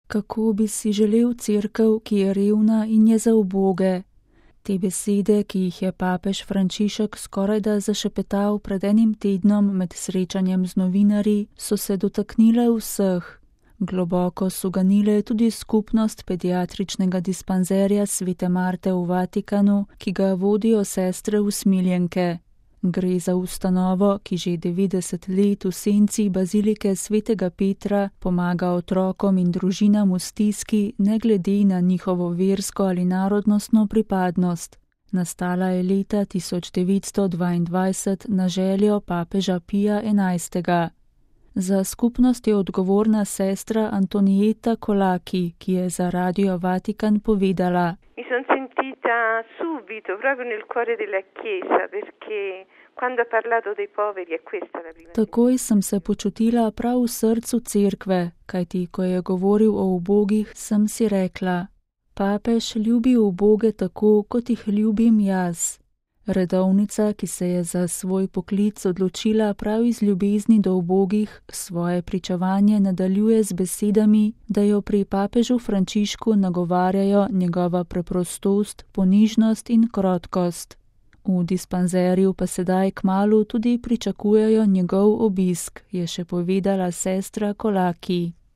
Kako bi si želel cerkev, ki je revna in je za uboge? Te besede, ki jih je papež Frančišek skorajda zašepetal pred enim tednom med srečanjem z novinarji, so se dotaknile vseh. Globoko so ganile tudi skupnost pediatričnega dispanzerja Svete Marte v Vatikanu, ki ga vodijo sestre usmiljenke. Gre za ustanovo, ki že 90 let v senci bazilike Svetega Petra pomaga otrokom in družinam v stiski, ne glede na njihovo versko ali narodnostno pripadnost. Nastala je leta 1922 na željo papeža Pija XI. Za skupnost je odgovorna sestra Antonieta Colacchi, ki je za Radio Vatikan povedala: subito, proprio nel cuore della Chiesa, perché quando ha parlato dei poveri è questa la prima. Takoj sem se počutila prav v srcu cerkve, kajti ko je govoril o ubogih, sem si rekla: papež ljubi uboge tako, kot jih ljubim jaz. Redovnica, ki se je za svoj poklic odločila prav iz ljubezni do ubogih, svoje pričevanje nadaljuje z besedami, da jo pri papežu Frančišku nagovarjajo njegova preprostost, ponižnost in krotkost. V dispanzerju pa sedaj kmalu tudi pričakujejo njegov obisk, je še povedala sestra Colacchi.